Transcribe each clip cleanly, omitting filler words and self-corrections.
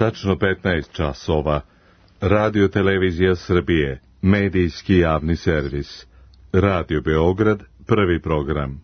tačno 15 časova. Radio Televizija Srbije, medijski javni servis. Radio Beograd, prvi program.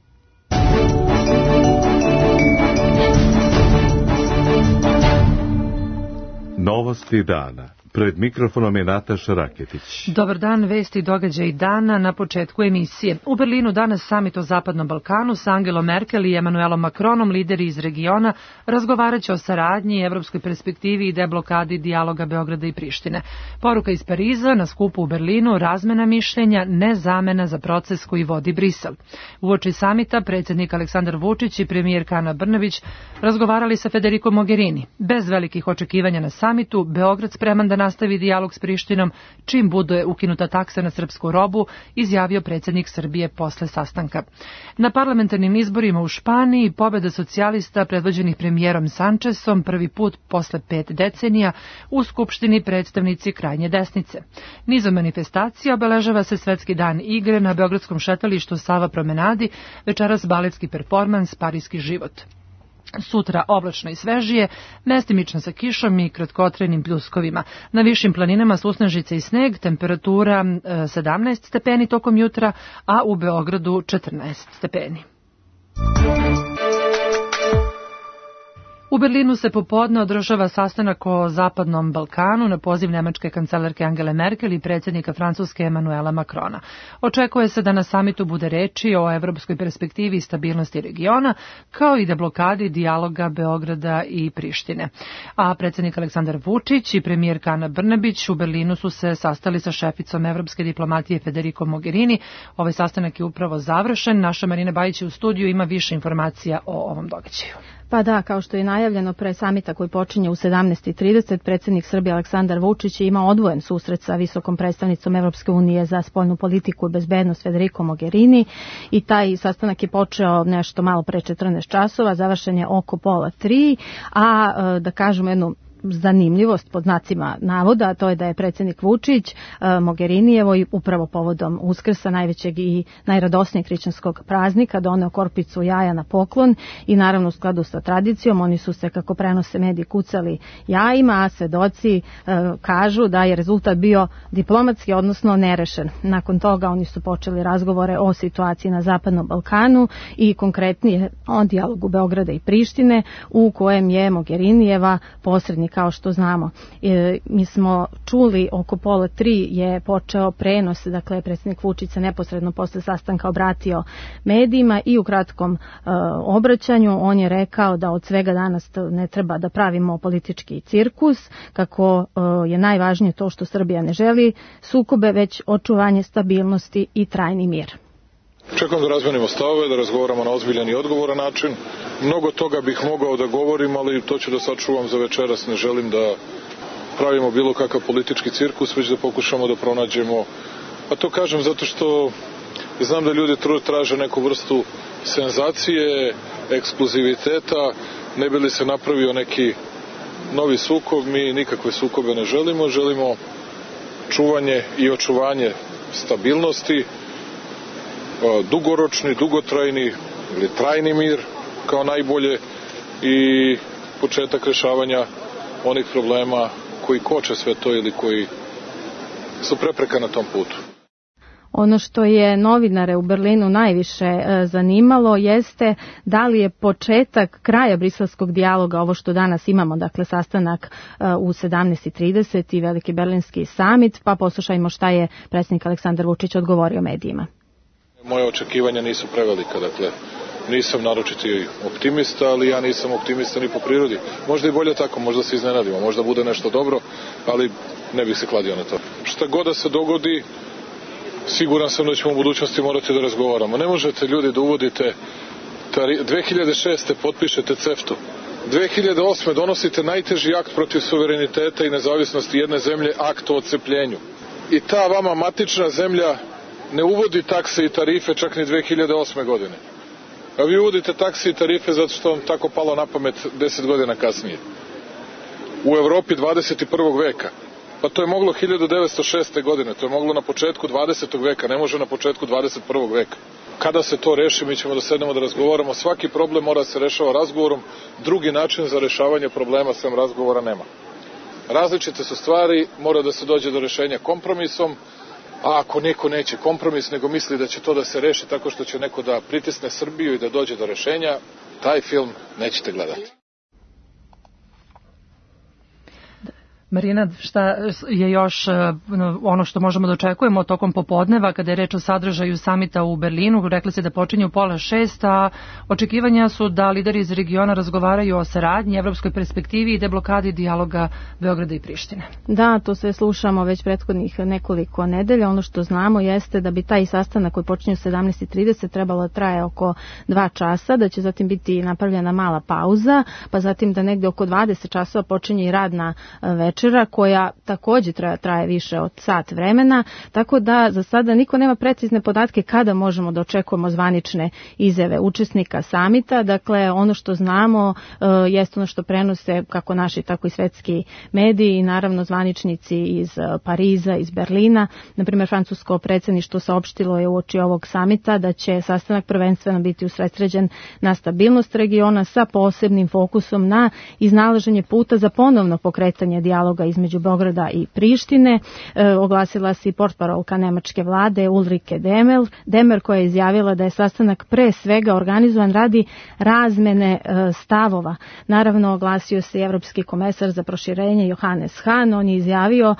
Novosti dana. Pred mikrofonom je Nataša Raketić. Dobar dan, vesti i događaji dana na početku emisije. U Berlinu danas samit o Zapadnom Balkanu s Angelom Merkel i Emanuelom Macronom, lideri iz regiona, razgovaraće o saradnji, evropskoj perspektivi i deblokadi dijaloga Beograda i Prištine. Poruka iz Pariza na skupu u Berlinu: razmena mišljenja, ne zamena za proces koji vodi Brisel. Uoči samita predsjednik Aleksandar Vučić i premijerka Ana Brnabić razgovarali sa Federico Mogherini. Bez velikih očekivanja na samitu, Beograd spreman da nastavi dijalog s Prištinom čim bude ukinuta taksa na srpsku robu, izjavio predsjednik Srbije posle sastanka. Na parlamentarnim izborima u Španiji pobjeda socijalista predvođenih premijerom Sančesom prvi put posle 5 decenija u Skupštini predstavnici krajnje desnice. Nizom manifestacija obeležava se Svetski dan igre na beogradskom šetalištu Sava promenadi, večeras baletski performans Parijski život. Sutra oblačno i svežije, mestimično sa kišom i kratkotrenim pljuskovima. Na višim planinama susnežice i sneg, temperatura 17 stepeni tokom jutra, a u Beogradu 14 stepeni. U Berlinu se popodne održava sastanak o Zapadnom Balkanu na poziv nemačke kancelarke Angele Merkel i predsjednika Francuske Emanuela Macrona. Očekuje se da na samitu bude reči o evropskoj perspektivi i stabilnosti regiona, kao i deblokadi dijaloga Beograda i Prištine. A predsjednik Aleksandar Vučić i premijerka Ana Brnabić u Berlinu su se sastali sa šeficom evropske diplomatije Federico Mogherini. Ovaj sastanak je upravo završen. Naša Marina Bajić u studiju ima više informacija o ovom događaju. Pa da, kao što je najavljeno pre samita koji počinje u 17:30, predsjednik Srbije Aleksandar Vučić je imao odvojen susret sa visokom predstavnicom Evropske unije za spoljnu politiku i bezbednost Federico Mogherini i taj sastanak je počeo nešto malo pre 14 časova, završen je oko 2:30, a da kažemo jednu zanimljivost pod znacima navoda, to je da je predsjednik Vučić Mogherinijevo i upravo povodom Uskrsa, najvećeg i najradosnijeg hrišćanskog praznika, doneo korpicu jaja na poklon i naravno u skladu sa tradicijom oni su se, kako prenose mediji, kucali jajima, a svedoci kažu da je rezultat bio diplomatski, odnosno nerešen. Nakon toga oni su počeli razgovore o situaciji na Zapadnom Balkanu i konkretnije o dijalogu Beograda i Prištine, u kojem je Mogherinijeva posrednik. Kao što znamo, mi smo čuli oko 2:30 je počeo prenos, dakle predsjednik Vučić se neposredno posle sastanka obratio medijima i u kratkom obraćanju on je rekao da od svega danas ne treba da pravimo politički cirkus, kako je najvažnije to što Srbija ne želi sukobe, već očuvanje stabilnosti i trajni mir. Čekam da razmenimo stavove, da razgovaramo na ozbiljan i odgovoran način. Mnogo toga bih mogao da govorim, ali to ću da sačuvam za večeras. Ne želim da pravimo bilo kakav politički cirkus, već da pokušamo da pronađemo. A to kažem zato što znam da ljudi traže neku vrstu senzacije, ekskluziviteta, ne bi li se napravio neki novi sukob. Mi nikakve sukobe ne želimo, želimo čuvanje i očuvanje stabilnosti, dugoročni, dugotrajni ili trajni mir kao najbolje i početak rešavanja onih problema koji koče sve to ili koji su prepreka na tom putu. Ono što je novinare u Berlinu najviše zanimalo jeste da li je početak kraja briselskog dijaloga ovo što danas imamo, dakle sastanak u 17:30 i veliki berlinski samit, pa poslušajmo šta je predsjednik Aleksandar Vučić odgovorio medijima. Moje očekivanja nisu prevelika, dakle nisam naročiti optimista, ali ja nisam optimista ni po prirodi. Možda i bolje tako, možda se iznenadimo, možda bude nešto dobro, ali ne bih se kladio na to. Šta god da se dogodi, siguran sam da ćemo u budućnosti morati da razgovaramo. Ne možete ljudi da uvodite 2006. potpišete CEFTA-u. 2008. donosite najteži akt protiv suvereniteta i nezavisnosti jedne zemlje, akt o odcepljenju. I ta vama matična zemlja ne uvodi takse i tarife čak ni 2008. godine. A vi uvodite takse i tarife zato što vam tako palo na pamet 10 godina kasnije. U Evropi 21. veka. Pa to je moglo 1906. godine, to je moglo na početku 20. veka, ne može na početku 21. veka. Kada se to reši, mi ćemo da sednemo da razgovaramo. Svaki problem mora se rešava razgovorom, drugi način za rešavanje problema sem razgovora nema. različite su stvari, mora da se dođe do rešenja kompromisom, a ako neko neće kompromis, nego misli da će to da se reši tako što će neko da pritisne Srbiju i da dođe do rešenja, taj film nećete gledati. Marina, šta je još ono što možemo da očekujemo tokom popodneva kada je reč o sadržaju samita u Berlinu? Rekli se da počinje u 5:30, a očekivanja su da lideri iz regiona razgovaraju o saradnji, evropskoj perspektivi i deblokadi dijaloga Beograda i Prištine. Da, to sve slušamo već prethodnih nekoliko nedelja. Ono što znamo jeste da bi taj sastanak koji počinje u 17:30 trebalo da traje oko 2 časa, da će zatim biti napravljena mala pauza, pa zatim da negde oko 20 časova počinje i radna večera koja takođe traje više od sat vremena, tako da za sada niko nema precizne podatke kada možemo da očekujemo zvanične izjave učesnika samita. Dakle, ono što znamo jeste ono što prenose kako naši, tako i svetski mediji i naravno zvaničnici iz Pariza, iz Berlina. Naprimjer, francusko predsjedništvo saopštilo je uoči ovog samita da će sastanak prvenstveno biti usredsređen na stabilnost regiona sa posebnim fokusom na iznalaženje puta za ponovno pokretanje dijaloga između Beograda i Prištine. Oglasila se i portparolka nemačke vlade Ulrike Demer koja je izjavila da je sastanak pre svega organizovan radi razmene stavova. Naravno, oglasio se i evropski komesar za proširenje Johannes Hahn. On je izjavio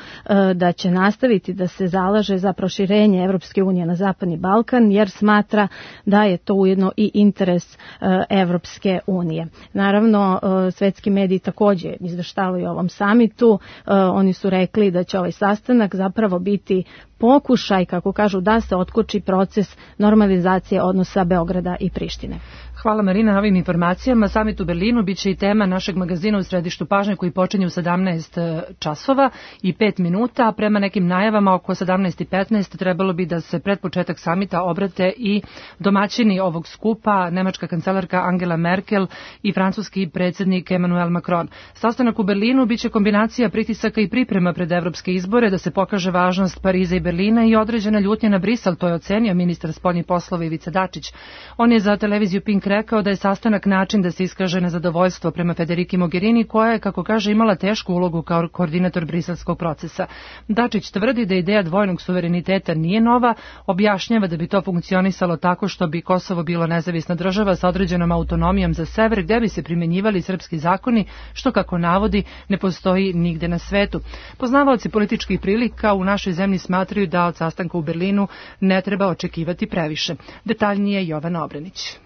da će nastaviti da se zalaže za proširenje Evropske unije na Zapadni Balkan jer smatra da je to ujedno i interes Evropske unije. Naravno, svetski mediji takođe izveštavaju o ovom samitu. Oni su rekli da će ovaj sastanak zapravo biti pokušaj, kako kažu, da se otkoči proces normalizacije odnosa Beograda i Prištine. Hvala Marina na ovim informacijama. Samit u Berlinu biće i tema našeg magazina u središtu pažnje koji počinje u 17 časova i 5 minuta. Prema nekim najavama oko 17:15 trebalo bi da se pred početak samita obrate i domaćini ovog skupa, nemačka kancelarka Angela Merkel i francuski predsjednik Emmanuel Macron. Sastanak u Berlinu biće kombinacija pritisaka i priprema pred evropske izbore da se pokaže važnost Pariza i Berlina i određena ljutnja na Brisel, to je ocenio ministar spoljnih poslova Ivica Dačić. On je za televiziju Pink rekao da je sastanak način da se iskaže nezadovoljstvo prema Federiki Mogherini, koja je, kako kaže, imala tešku ulogu kao koordinator briselskog procesa. Dačić tvrdi da ideja dvojnog suvereniteta nije nova, objašnjava da bi to funkcionisalo tako što bi Kosovo bilo nezavisna država sa određenom autonomijom za sever, gde bi se primenjivali srpski zakoni, što, kako navodi, ne postoji nigde na svetu. Poznavaoci političkih prilika u našoj zemlji smatraju da od sastanka u Berlinu ne treba očekivati previše. Detaljnije Jovana Obrenić.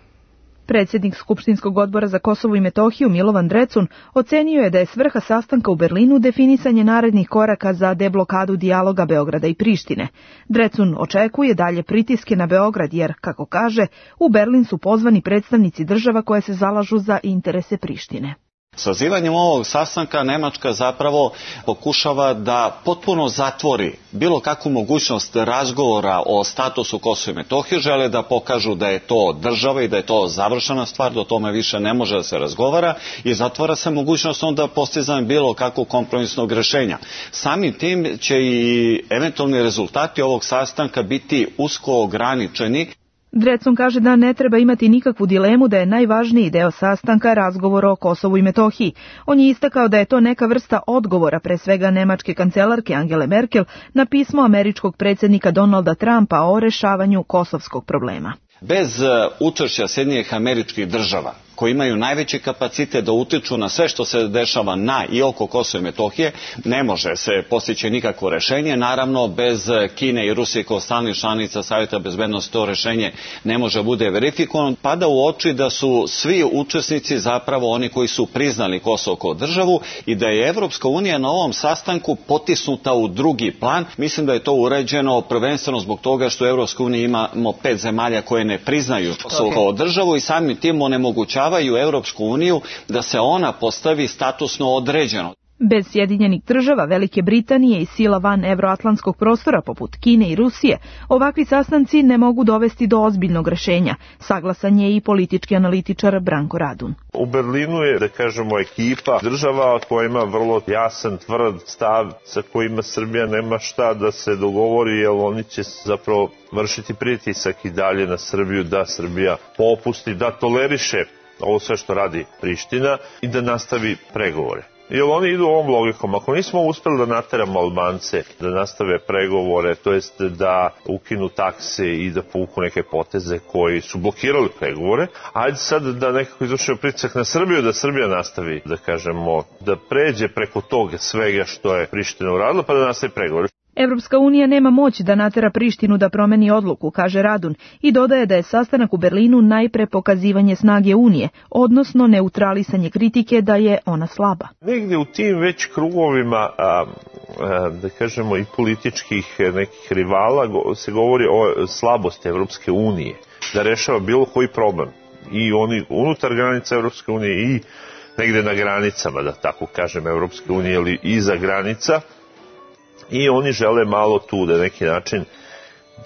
Predsjednik Skupštinskog odbora za Kosovo i Metohiju Milovan Drecun ocenio je da je svrha sastanka u Berlinu definisanje narednih koraka za deblokadu dijaloga Beograda i Prištine. Drecun očekuje dalje pritiske na Beograd jer, kako kaže, u Berlin su pozvani predstavnici država koje se zalažu za interese Prištine. Sazivanjem ovog sastanka Nemačka zapravo pokušava da potpuno zatvori bilo kakvu mogućnost razgovora o statusu Kosova i Metohije, žele da pokažu da je to država i da je to završena stvar, da o tome više ne može da se razgovara i zatvara se mogućnost onda postizanja bilo kakvog kompromisnog rešenja. Samim tim će i eventualni rezultati ovog sastanka biti usko ograničeni. Drecun kaže da ne treba imati nikakvu dilemu da je najvažniji deo sastanka razgovor o Kosovu i Metohiji. On je istakao da je to neka vrsta odgovora, pre svega nemačke kancelarke Angele Merkel, na pismo američkog predsjednika Donalda Trumpa o rešavanju kosovskog problema. Bez učešća Sjedinjenih Američkih Država, koji imaju najveći kapacitet da utiču na sve što se dešava na i oko Kosova i Metohije, ne može se postići nikakvo rešenje. Naravno, bez Kine i Rusije kao stalnih članica Savjeta bezbednosti to rešenje ne može bude verifikovano. Pada u oči da su svi učesnici zapravo oni koji su priznali Kosovo kao državu i da je Evropska unija na ovom sastanku potisnuta u drugi plan. Mislim da je to urađeno prvenstveno zbog toga što u Evropskoj uniji imamo 5 zemalja koje ne priznaju Kosovo kao državu i samim tim onemogućavaju Europsku uniju da se ona postavi statusno određeno. Bez Sjedinjenih Država, Velike Britanije i sila van evroatlantskog prostora poput Kine i Rusije, ovakvi sastanci ne mogu dovesti do ozbiljnog rešenja. Saglasan je i politički analitičar Branko Radun. U Berlinu je, da kažemo, ekipa država koja ima vrlo jasan, tvrd stav sa kojima Srbija nema šta da se dogovori, jer oni će zapravo vršiti pritisak i dalje na Srbiju da Srbija popusti, da toleriše ovo sve što radi Priština i da nastavi pregovore. Jer oni idu ovom logikom. Ako nismo uspeli da nateramo Albance da nastave pregovore, to jest da ukinu takse i da povuku neke poteze koji su blokirali pregovore, ajde sad da nekako izvršimo pritisak na Srbiju, da Srbija nastavi, da kažemo, da pređe preko toga svega što je Priština uradila, pa da nastavi pregovore. Evropska unija nema moć da natera Prištinu da promeni odluku, kaže Radun, i dodaje da je sastanak u Berlinu najpre pokazivanje snage Unije, odnosno neutralisanje kritike da je ona slaba. Negde u tim već krugovima, da kažemo, i političkih nekih rivala se govori o slabosti Evropske unije, da rešava bilo koji problem. I oni unutar granica Evropske unije i negde na granicama, da tako kažem, Evropske unije ili iza granica. I oni žele malo tu da neki način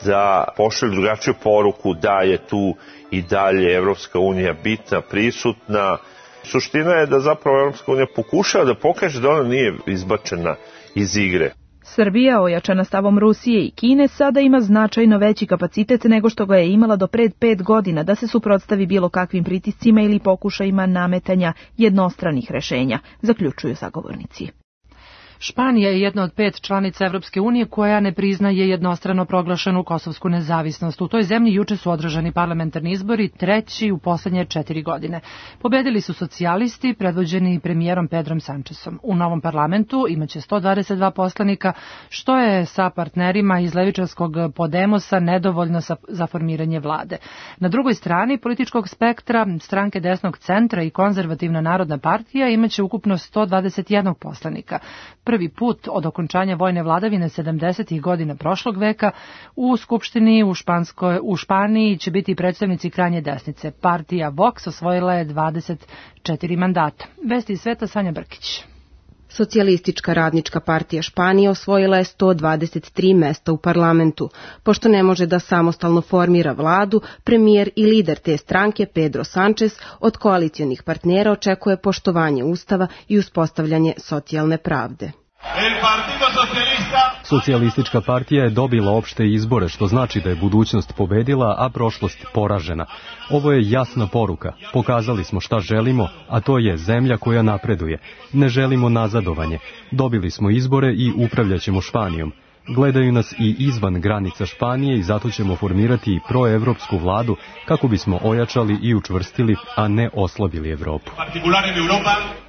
da pošalju drugačiju poruku da je tu i dalje Evropska unija bitna, prisutna. Suština je da zapravo Evropska unija pokušava da pokaže da ona nije izbačena iz igre. Srbija, ojačana stavom Rusije i Kine, sada ima značajno veći kapacitet nego što ga je imala do pred 5 godina da se suprotstavi bilo kakvim pritiscima ili pokušajima nametanja jednostranih rešenja, zaključuju sagovornici. Španija je jedna od 5 članica Evropske unije koja ne priznaje jednostrano proglašenu kosovsku nezavisnost. U toj zemlji juče su održani parlamentarni izbori, treći u poslednje 4 godine. Pobedili su socijalisti, predvođeni premijerom Pedrom Sančesom. U novom parlamentu imaće 122 poslanika, što je sa partnerima iz levičarskog Podemosa nedovoljno za formiranje vlade. Na drugoj strani političkog spektra, stranke desnog centra i konzervativna narodna partija imaće ukupno 121 poslanika. Prvi put od okončanja vojne vladavine 70. godina prošlog veka u Skupštini u Španiji će biti predstavnici krajnje desnice. Partija Vox osvojila je 24 mandata. Vesti iz sveta, Sanja Brkić. Socijalistička radnička partija Španije osvojila je 123 mesta u parlamentu. Pošto ne može da samostalno formira vladu, premijer i lider te stranke Pedro Sánchez od koalicionih partnera očekuje poštovanje ustava i uspostavljanje socijalne pravde. Socijalistička partija je dobila opšte izbore, što znači da je budućnost pobedila, a prošlost poražena. Ovo je jasna poruka. Pokazali smo šta želimo, a to je zemlja koja napreduje. Ne želimo nazadovanje. Dobili smo izbore i upravljaćemo Španijom. Gledaju nas i izvan granica Španije i zato ćemo formirati proevropsku vladu kako bismo ojačali i učvrstili, a ne oslabili Evropu.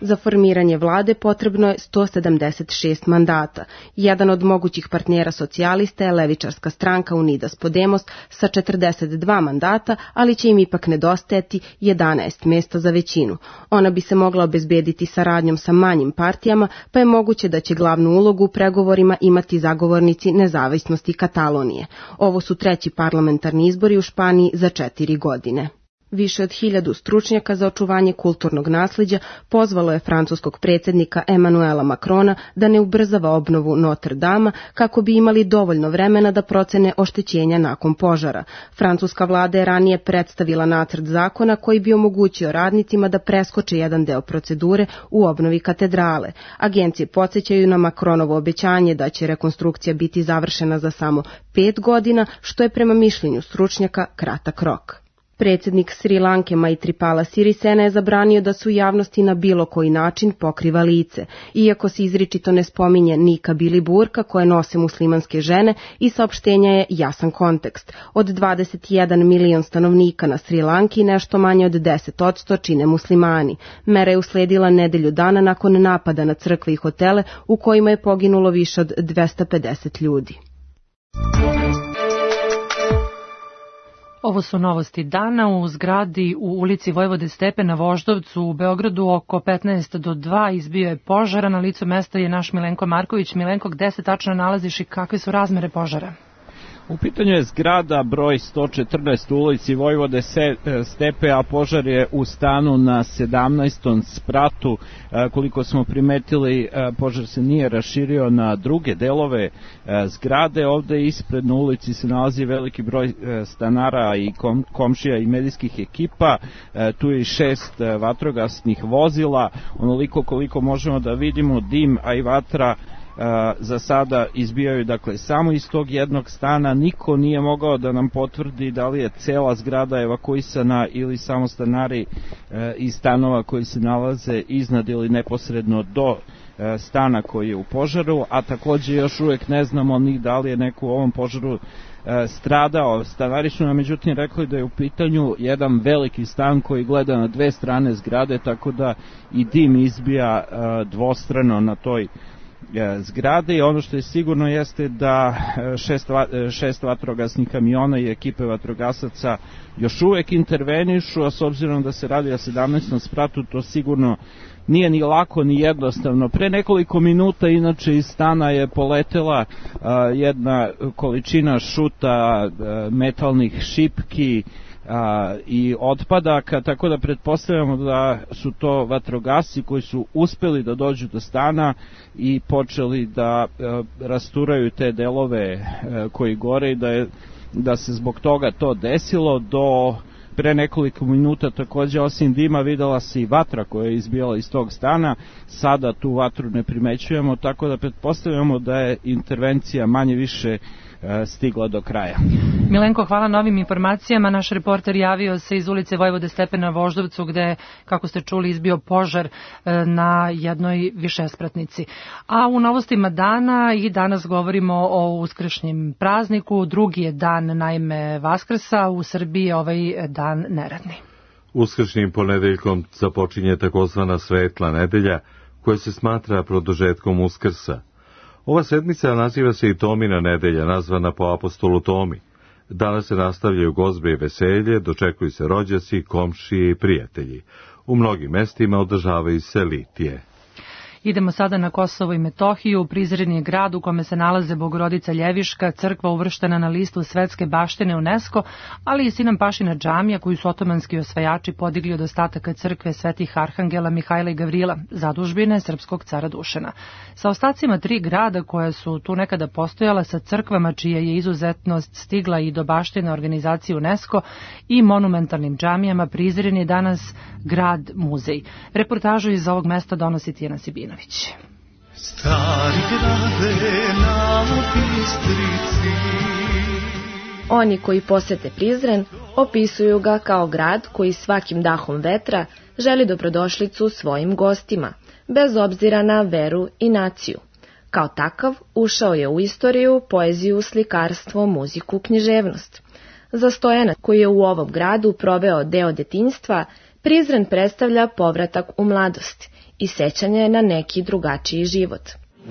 Za formiranje vlade potrebno je 176 mandata. Jedan od mogućih partnera socijalista je levičarska stranka Unidas Podemos sa 42 mandata, ali će im ipak nedostajati 11 mesta za većinu. Ona bi se mogla obezbediti saradnjom sa manjim partijama, pa je moguće da će glavnu ulogu u pregovorima imati zagovornici nezavisnosti Katalonije. Ovo su treći parlamentarni izbori u Španiji za 4 godine. Više od 1000 stručnjaka za očuvanje kulturnog nasleđa pozvalo je francuskog predsjednika Emanuela Macrona da ne ubrzava obnovu Notre Dama kako bi imali dovoljno vremena da procene oštećenja nakon požara. Francuska vlada je ranije predstavila nacrt zakona koji bi omogućio radnicima da preskoče jedan deo procedure u obnovi katedrale. Agencije podsjećaju na Macronovo obećanje da će rekonstrukcija biti završena za samo 5 godina, što je prema mišljenju stručnjaka kratak rok. Predsjednik Sri Lanke Maithripala Sirisena je zabranio da se u javnosti na bilo koji način pokriva lice, iako se izričito ne spominje nikab ili burka koje nose muslimanske žene i saopštenja je jasan kontekst. Od 21 milion stanovnika na Sri Lanki nešto manje od 10% čine muslimani. Mera je usledila nedelju dana nakon napada na crkve i hotele u kojima je poginulo više od 250 ljudi. Ovo su novosti dana. U zgradi u ulici Vojvode Stepe na Voždovcu u Beogradu oko 15 do 2 izbio je požara. Na licu mesta je naš Milenko Marković. Milenko, gde se tačno nalaziš i kakve su razmere požara? U pitanju je zgrada broj 114 u ulici Vojvode Stepe, a požar je u stanu na 17. spratu. Koliko smo primetili, požar se nije raširio na druge delove zgrade. Ovde ispred na ulici se nalazi veliki broj stanara i komšija i medijskih ekipa. Tu je i 6 vatrogasnih vozila. Onoliko koliko možemo da vidimo, dim, a i vatra za sada izbijaju dakle samo iz tog jednog stana. Niko nije mogao da nam potvrdi da li je cela zgrada evakuisana ili samo stanari iz stanova koji se nalaze iznad ili neposredno do stana koji je u požaru, a takođe još uvek ne znamo ni da li je neko u ovom požaru stradao. Stanari su nam međutim rekli da je u pitanju jedan veliki stan koji gleda na dve strane zgrade, tako da i dim izbija dvostrano na toj zgrade. I ono što je sigurno jeste da šest vatrogasnih kamiona i ekipe vatrogasaca još uvek intervenišu, a s obzirom da se radi o 17. spratu, to sigurno nije ni lako ni jednostavno. Pre nekoliko minuta inače iz stana je poletela jedna količina šuta, metalnih šipki i otpadaka, tako da pretpostavljamo da su to vatrogasci koji su uspeli da dođu do stana i počeli da rasturaju te delove koji gore i da se zbog toga to desilo. Do pre nekoliko minuta takođe osim dima videla se i vatra koja je izbijala iz tog stana. Sada tu vatru ne primećujemo, tako da pretpostavljamo da je intervencija manje više stigla do kraja. Milenko, hvala na ovim informacijama. Naš reporter javio se iz ulice Vojvode Stepena Voždovcu gde, kako ste čuli, izbio požar na jednoj višespratnici. A u novostima dana i danas govorimo o uskršnjem prazniku. Drugi je dan, naime, Vaskrsa. U Srbiji je ovaj dan neradni. Uskršnjim ponedeljkom započinje takozvana svetla nedelja koja se smatra produžetkom Uskrsa. Ova sedmica naziva se i Tomina nedelja, nazvana po apostolu Tomi. Danas se nastavljaju gozbe i veselje, dočekuju se rođaci, komšije i prijatelji. U mnogim mestima održavaju se litije. Idemo sada na Kosovo i Metohiju. Prizren je grad u kome se nalaze Bogorodica Ljeviška, crkva uvrštena na listu svetske baštine UNESCO, ali i Sinan Pašina džamija koju su otomanski osvajači podigli od ostataka crkve svetih arhangela Mihajla i Gavrila, zadužbine srpskog cara Dušana. Sa ostacima 3 grada koja su tu nekada postojala, sa crkvama čija je izuzetnost stigla i do baštine organizacije UNESCO i monumentalnim džamijama, Prizren je danas grad muzej. Reportažu iz ovog mesta donosi Tijana Sibina. Stari grade na Bistrici. Oni koji posete Prizren opisuju ga kao grad koji svakim dahom vetra želi dobrodošlicu svojim gostima, bez obzira na veru i naciju. Kao takav ušao je u istoriju, poeziju, slikarstvo, muziku, književnost. Za Stojana, koji je u ovom gradu proveo deo detinjstva, Prizren predstavlja povratak u mladost i sećanje na neki drugačiji život.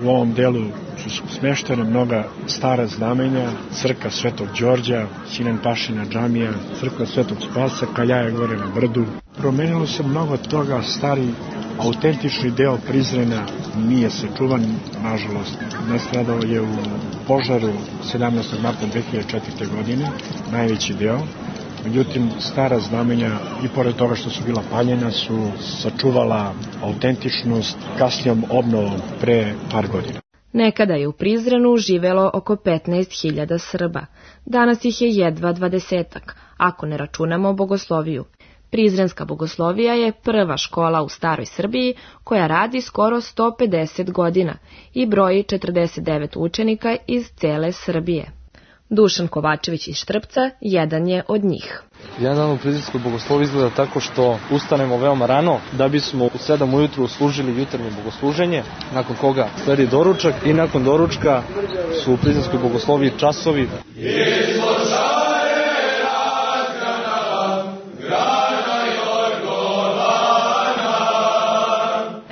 U ovom delu su smeštene mnoga stara znamenja, crkva Svetog Đorđa, Sinan Pašina džamija, crkva Svetog Spasa, Kaljaja gore na brdu. Promenilo se mnogo toga, stari autentični deo Prizrena nije sačuvan, nažalost. Nastradao je u požaru 17. marta 2004. godine, najveći deo. Međutim, stara znamenja, i pored toga što su bila paljena, su sačuvala autentičnost kasnijom obnovom pre par godina. Nekada je u Prizrenu živelo oko 15.000 Srba. Danas ih je jedva 20-ak, ako ne računamo bogosloviju. Prizrenska bogoslovija je prva škola u staroj Srbiji koja radi skoro 150 godina i broji 49 učenika iz cele Srbije. Dušan Kovačević iz Štrpca jedan je od njih. Jedan dan u Prizrenskoj bogosloviji izgleda tako što ustanemo veoma rano da bismo u 7 ujutru služili jutarnje bogosluženje, nakon koga sledi doručak i nakon doručka su u Prizrenskoj bogosloviji časovi.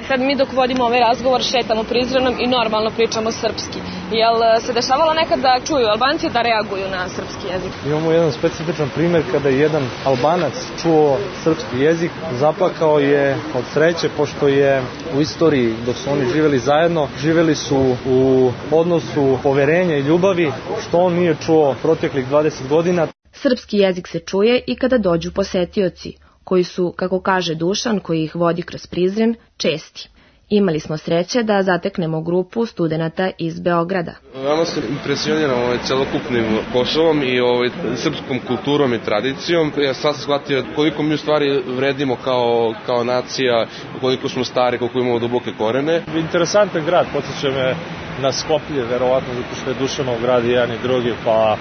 Sad mi dok vodimo ovaj razgovor šetamo Prizrenom i normalno pričamo srpski. Jel se dešavalo nekad da čuju Albanci da reaguju na srpski jezik? Imamo jedan specifičan primjer kada je jedan Albanac čuo srpski jezik, zaplakao je od sreće pošto je u istoriji dok su oni živjeli zajedno, živjeli su u odnosu poverenja i ljubavi, što on nije čuo proteklih 20 godina. Srpski jezik se čuje i kada dođu posetioci, koji su, kako kaže Dušan, koji ih vodi kroz Prizren, česti. Imali smo sreće da zateknemo grupu studenata iz Beograda. Veoma se impresioniram celokupnim Kosovom i srpskom kulturom i tradicijom. Ja sad sam shvatio koliko mi u stvari vredimo kao nacija, koliko smo stari, koliko imamo duboke korene. Interesantan grad, podsjeća me na Skoplje, verovatno zato što je Dušanov grad i jedan i drugi, pa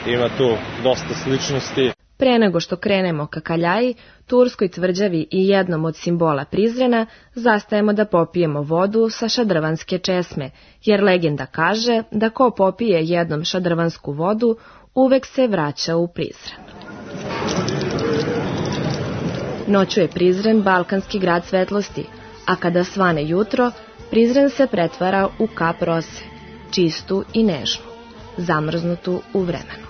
ima tu dosta sličnosti. Pre nego što krenemo ka Kaljaji, turskoj tvrđavi i jednom od simbola Prizrena, zastajemo da popijemo vodu sa šadrvanske česme, jer legenda kaže da ko popije jednom šadrvansku vodu, uvek se vraća u Prizren. Noću je Prizren balkanski grad svetlosti, a kada svane jutro, Prizren se pretvara u kap rose, čistu i nežnu, zamrznutu u vremenu.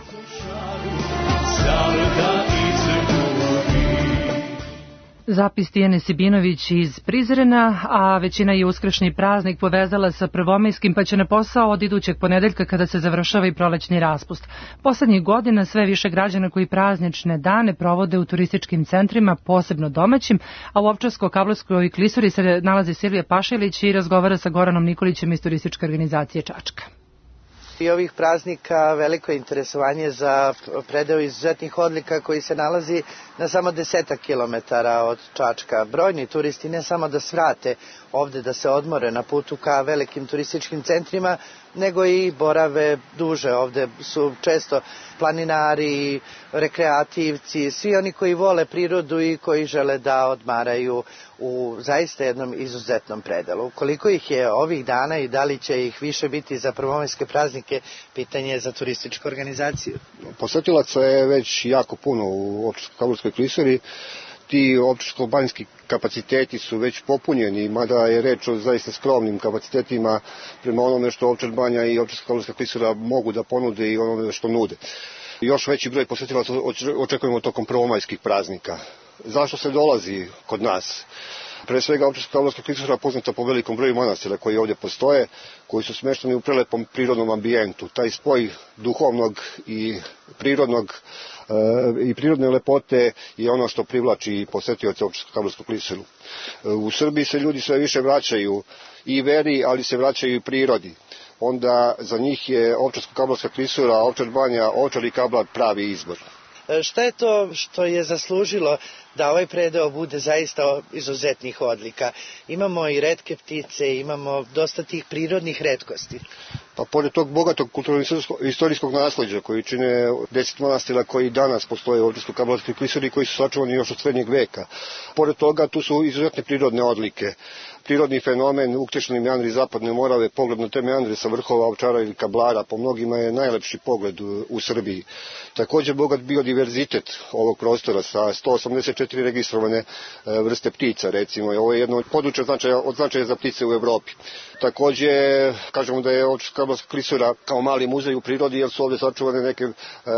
Zapis Tijane Sibinović iz Prizrena, a većina je uskršnji praznik povezala sa prvomajskim, pa će na posao od idućeg ponedeljka kada se završava i prolećni raspust. Poslednjih godina sve više građana koji praznične dane provode u turističkim centrima, posebno domaćim, a u Ovčarsko-Kablarskoj klisuri se nalazi Silvija Pašilić i razgovara sa Goranom Nikolićem iz turističke organizacije Čačka. I ovih praznika veliko je interesovanje za predeo izuzetnih odlika koji se nalazi na samo 10 kilometara od Čačka. Brojni turisti ne samo da svrate ovde da se odmore na putu ka velikim turističkim centrima, nego i borave duže. Ovde su često planinari, rekreativci, svi oni koji vole prirodu i koji žele da odmaraju u zaista jednom izuzetnom predelu. Koliko ih je ovih dana i da li će ih više biti za prvomajske praznike, pitanje je za turističku organizaciju. Posetilaca je već jako puno u Ovčarsko-Kablarskoj klisuri. Ti općarsko-banjski kapaciteti su već popunjeni, mada je reč o zaista skromnim kapacitetima prema onome što Ovčar banja i Ovčarsko-Kablarska klisura mogu da ponude i onome što nude. Još veći broj posetilaca očekujemo tokom prvomajskih praznika. Zašto se dolazi kod nas? Pre svega Ovčarsko-Kablarska klisura poznata po velikom broju manastira koji ovdje postoje, koji su smešteni u prelepom prirodnom ambijentu. Taj spoj duhovnog i prirodne lepote je ono što privlači posetioce Ovčarsko-Kablarsku klisuru. U Srbiji se ljudi sve više vraćaju i veri, ali se vraćaju i prirodi. Onda za njih je Ovčarsko-Kablarska klisura, Ovčar banja, Ovčar i Kablar pravi izbor. Šta je to što je zaslužilo da ovaj predeo bude zaista izuzetnih odlika? Imamo i retke ptice, imamo dosta tih prirodnih retkosti. Pa pored tog bogatog kulturno-istorijskog nasleđa koji čine 10 manastira koji danas postoje u Ovčarsko-Kablarskoj klisuri koji su sačuvani još od srednjeg veka. Pored toga tu su izuzetne prirodne odlike. Prirodni fenomen, uktešni meandri Zapadne Morave, pogled na te meandre sa vrhova Ovčara ili Kablara, po mnogima je najlepši pogled u Srbiji. Također bogat biodiverzitet ovog prostora sa 184 registrovane vrste ptica, recimo. Ovo je jedno od područja od značaja za ptice u Evropi. Također kažemo da je Ovčarsko-Kablarska klisura kao mali muzej u prirodi, jer su ovdje sačuvane neke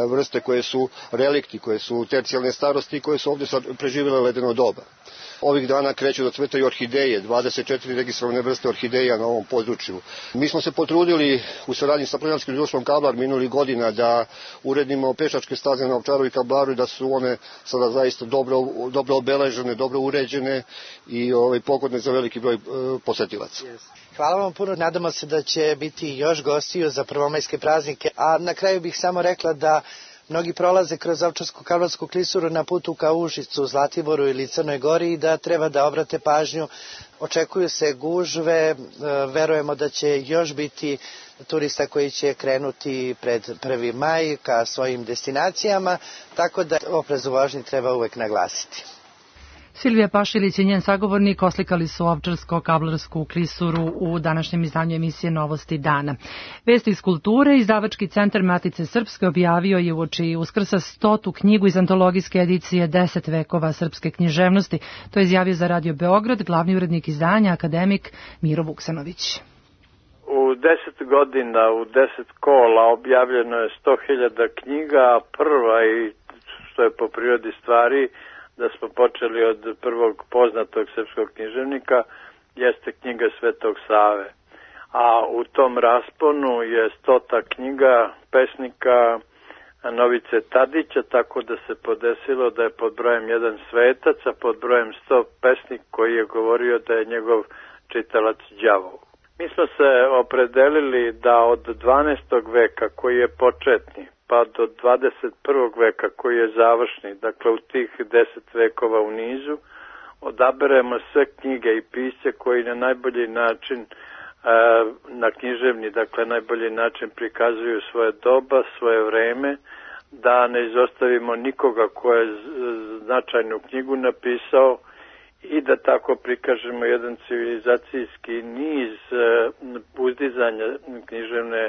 vrste koje su relikti, koje su tercijalne starosti i koje su ovdje preživjele ledeno doba. Ovih dana kreću da cvetaju orhideje, 24 registrovane vrste orhideja na ovom području. Mi smo se potrudili u saradnji sa planinarskim društvom Kablar minulih godina da uredimo pešačke staze na Ovčaru i Kablaru i da su one sada zaista dobro obeležene, dobro uređene i pogodne za veliki broj posetilaca. Hvala vam puno, nadamo se da će biti još gostiju za prvomajske praznike, a na kraju bih samo rekla da mnogi prolaze kroz Ovčarsko-Kablarsku klisuru na putu ka Užicu, Zlatiboru ili Crnoj Gori i da treba da obrate pažnju. Očekuju se gužve, verujemo da će još biti turista koji će krenuti pred 1. maj ka svojim destinacijama, tako da oprez u vožnji treba uvek naglasiti. Silvija Pašilić i njen sagovornik oslikali su Ovčarsko-Kablarsku klisuru u današnjem izdanju emisije Novosti dana. Vesti iz kulture, izdavački centar Matice Srpske objavio je uoči Uskrsa 100. knjigu iz antologijske edicije 10 vekova srpske književnosti. To je izjavio za Radio Beograd glavni urednik izdanja, akademik Miro Vuksanović. U 10 godina, u 10 kola objavljeno je 100.000 knjiga, prva i što je po prirodi stvari da smo počeli od prvog poznatog srpskog književnika, jeste knjiga Svetog Save. A u tom rasponu je 100. knjiga pesnika Novice Tadića, tako da se podesilo da je pod brojem 1 svetac, a pod brojem 100 pesnik koji je govorio da je njegov čitalac đavol. Mi smo se opredelili da od 12. veka koji je početni pa do 21. veka koji je završni, dakle u tih 10 vekova u nizu, odaberemo sve knjige i pisce koji na najbolji način, na književni, dakle najbolji način prikazuju svoje doba, svoje vreme, da ne izostavimo nikoga ko je značajnu knjigu napisao i da tako prikažemo jedan civilizacijski niz uzdizanja književne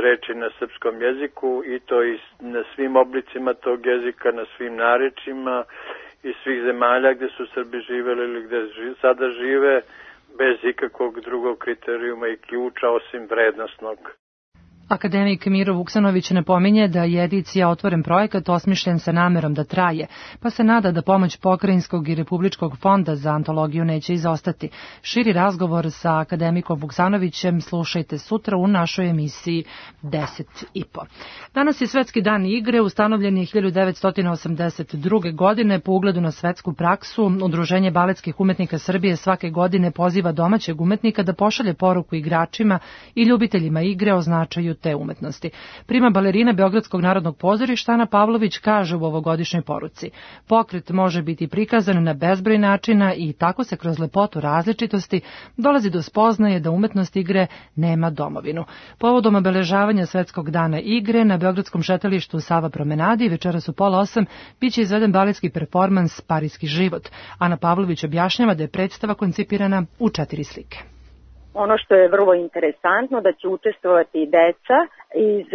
reči na srpskom jeziku i to i na svim oblicima tog jezika, na svim narečima iz svih zemalja gde su Srbi živeli ili gde sada žive, bez ikakvog drugog kriterijuma i ključa osim vrednostnog. Akademik Miro Vuksanović napominje da je edicija Otvoren projekat osmišljen sa namerom da traje, pa se nada da pomoć Pokrajinskog i Republičkog fonda za antologiju neće izostati. Širi razgovor sa akademikom Vuksanovićem slušajte sutra u našoj emisiji 10.5. Danas je Svetski dan igre, ustanovljen je 1982. godine po ugledu na svetsku praksu. Udruženje baletskih umetnika Srbije svake godine poziva domaćeg umetnika da pošalje poruku igračima i ljubiteljima igre o značaju te umetnosti. Prima balerina Beogradskog narodnog pozorišta Ana Pavlović kaže u ovogodišnjoj poruci: pokret može biti prikazan na bezbroj načina i tako se kroz lepotu različitosti dolazi do spoznaje da umetnost igre nema domovinu. Povodom obeležavanja Svetskog dana igre na Beogradskom šetalištu Sava promenadi večeras u 7:30 biće izveden baletski performans Parijski život. Ana Pavlović objašnjava da je predstava koncipirana u 4 slike. Ono što je vrlo interesantno da će učestvovati deca iz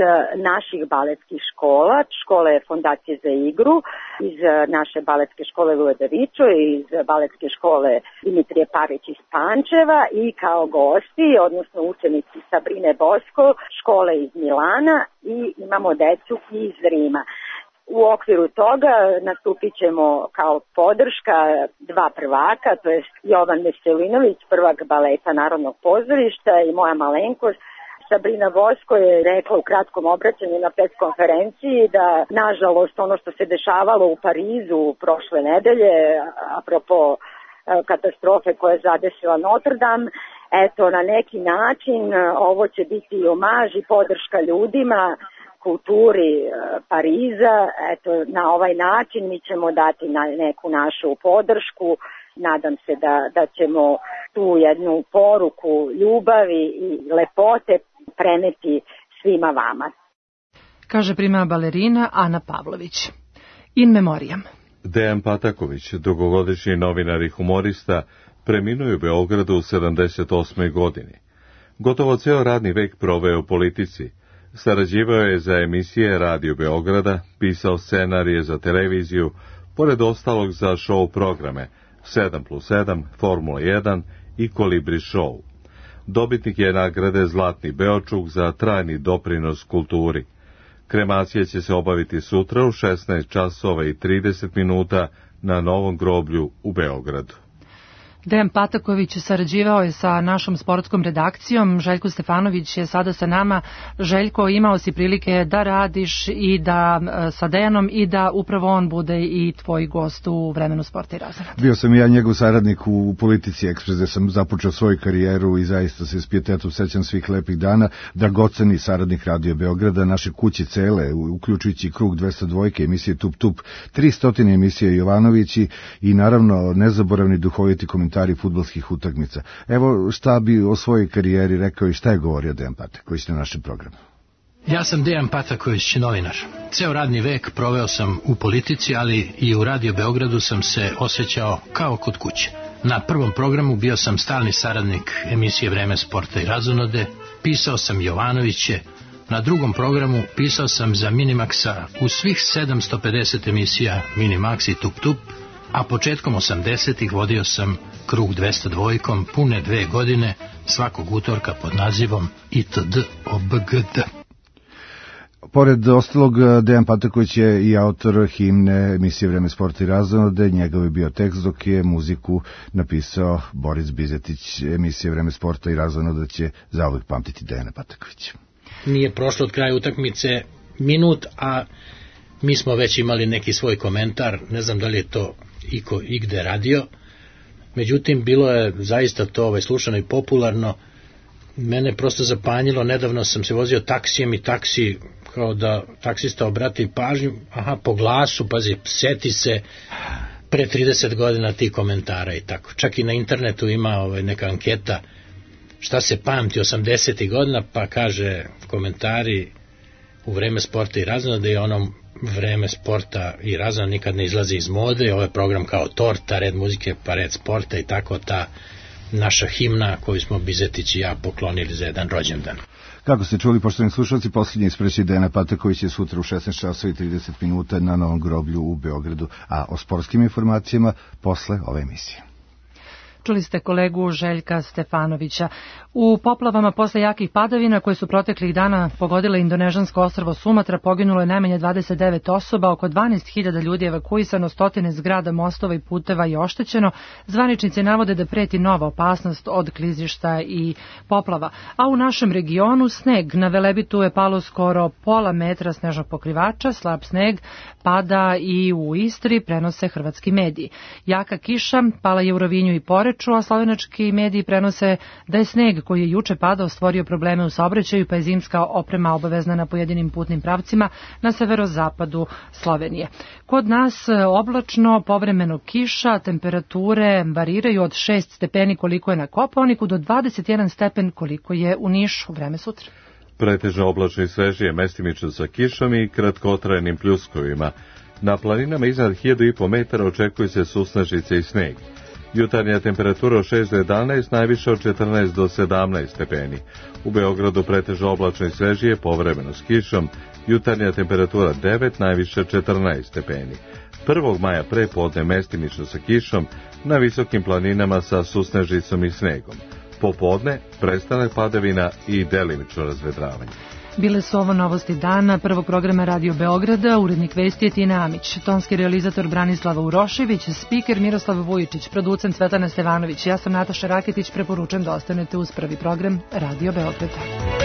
naših baletskih škola, škole Fondacije za igru, iz naše baletske škole Luje Davičo, iz baletske škole Dimitrije Parić iz Pančeva i kao gosti, odnosno učenici Sabrine Bosko, škole iz Milana i imamo decu iz Rima. U okviru toga nastupit ćemo kao podrška 2 prvaka, to je Jovan Veselinović, prvak baleta Narodnog pozorišta i moja malenkost. Sabrina Bosko je rekla u kratkom obraćanju na pres konferenciji da, nažalost, ono što se dešavalo u Parizu prošle nedelje, apropo katastrofe koja je zadesila Notre Dame, eto, na neki način ovo će biti omaž i podrška ljudima, kulturi Pariza. Eto, na ovaj način mi ćemo dati neku našu podršku. Nadam se da ćemo tu jednu poruku ljubavi i lepote preneti svima vama. Kaže prima balerina Ana Pavlović. In memoriam. Dejan Pataković, dugogodišnji novinar i humorista, preminuo je u Beogradu u 78. godini. Gotovo ceo radni vek proveo u politici. Sarađivao je za emisije Radio Beograda, pisao scenarije za televiziju, pored ostalog za show programe 7+7, Formula 1 i Kolibri show. Dobitnik je nagrade Zlatni Beočuk za trajni doprinos kulturi. Kremacija će se obaviti sutra u 16:30 na Novom groblju u Beogradu. Dejan Pataković sarađivao je sa našom sportskom redakcijom. Željko Stefanović je sada sa nama. Željko, imao si prilike da radiš i da sa Dejanom i da upravo on bude i tvoj gost u Vremenu sporta i razonode. Bio sam i ja njegov saradnik u Politici Ekspres, gde sam započeo svoju karijeru i zaista se s pijetetom sećam svih lepih dana. Dragoceni saradnik Radio Beograda, naše kuće cele, uključujući Krug 202, emisije Tup Tup, 300 emisije Jovanovići i naravno nezaboravni duhoviti komentari fudbalskih utakmica. Evo šta bi o svojoj karijeri rekao i šta je govorio Dejan Pataković na našem programu. Ja sam Dejan Pataković, novinar. Ceo radni vek proveo sam u politici, ali i u Radio Beogradu sam se osjećao kao kod kuće. Na prvom programu bio sam stalni saradnik emisije Vreme sporta i razonode, pisao sam Jovanoviće, na drugom programu pisao sam za Minimaxa u svih 750 emisija Minimax i Tup Tup, a početkom 80-ih vodio sam Krug 202 pune 2 godine, svakog utorka pod nazivom ITD OBGD. Pored ostalog, Dejan Pataković je i autor himne emisije Vreme sporta i razonode, njegov je bio tekst, dok je muziku napisao Boris Bizetić. Emisije Vreme sporta i razonode će zauvek pamtiti Dejana Patakovića. Nije prošlo od kraja utakmice minut, a mi smo već imali neki svoj komentar, ne znam da li je to iko igde radio. Međutim, bilo je zaista to slušano i popularno. Mene prosto zapanjilo, nedavno sam se vozio taksijem i taksi, kao da taksista obrati pažnju, po glasu, pazi, seti se pre 30 godina ti komentara i tako. Čak i na internetu ima neka anketa šta se pamti 80. godina, pa kaže komentari u vreme sporta i razona, da je ono vreme sporta i razona nikad ne izlazi iz mode, ovo je program kao torta, red muzike pa red sporta i tako ta naša himna koju smo Bizetić i ja poklonili za jedan rođendan. Kako ste čuli, poštovani slušalci, posljednji ispreći Dejana Pataković je sutra u 16:30 na Novom groblju u Beogradu, a o sportskim informacijama posle ove emisije. Čuli ste kolegu Željka Stefanovića. U poplavama posle jakih padavina koje su proteklih dana pogodile indonežansko ostrvo Sumatra poginulo je najmanje 29 osoba, oko 12.000 ljudi evakuisano, stotine zgrada, mostova i puteva je oštećeno. Zvaničnici navode da preti nova opasnost od klizišta i poplava. A u našem regionu sneg. Na Velebitu je palo skoro pola metra snežnog pokrivača, slab sneg pada i u Istri, prenose hrvatski mediji. Jaka kiša pala je u Rovinju i Poreču, a slovenački mediji prenose da je sneg koji je juče padao stvorio probleme u saobraćaju, pa je zimska oprema obavezna na pojedinim putnim pravcima na severozapadu Slovenije. Kod nas oblačno, povremeno kiša, temperature variraju od 6 stepeni koliko je na Kopaoniku do 21 stepen koliko je u Nišu. Vreme sutra. Pretežno oblačno i svežije, mestimično sa kišom i kratkotrajenim pljuskovima. Na planinama iznad 1500 metara očekuje se susnežice i sneg. Jutarnja temperatura od 6 do 11, najviše od 14 do 17 stepeni. U Beogradu pretežno oblačno i svežije, povremeno s kišom. Jutarnja temperatura 9, najviše 14 stepeni. 1. maja prepodne mestimično sa kišom, na visokim planinama sa susnežicom i snegom. Popodne prestanak padavina i delimično razvedravanje. Bile su ovo novosti dana prvog programa Radio Beograda, urednik vesti je Tina Amić, tonski realizator Branislava Urošević, spiker Miroslav Vujičić, producent Svetlana Stevanović. Ja sam Nataša Raketić, preporučujem da ostanete uz prvi program Radio Beograda.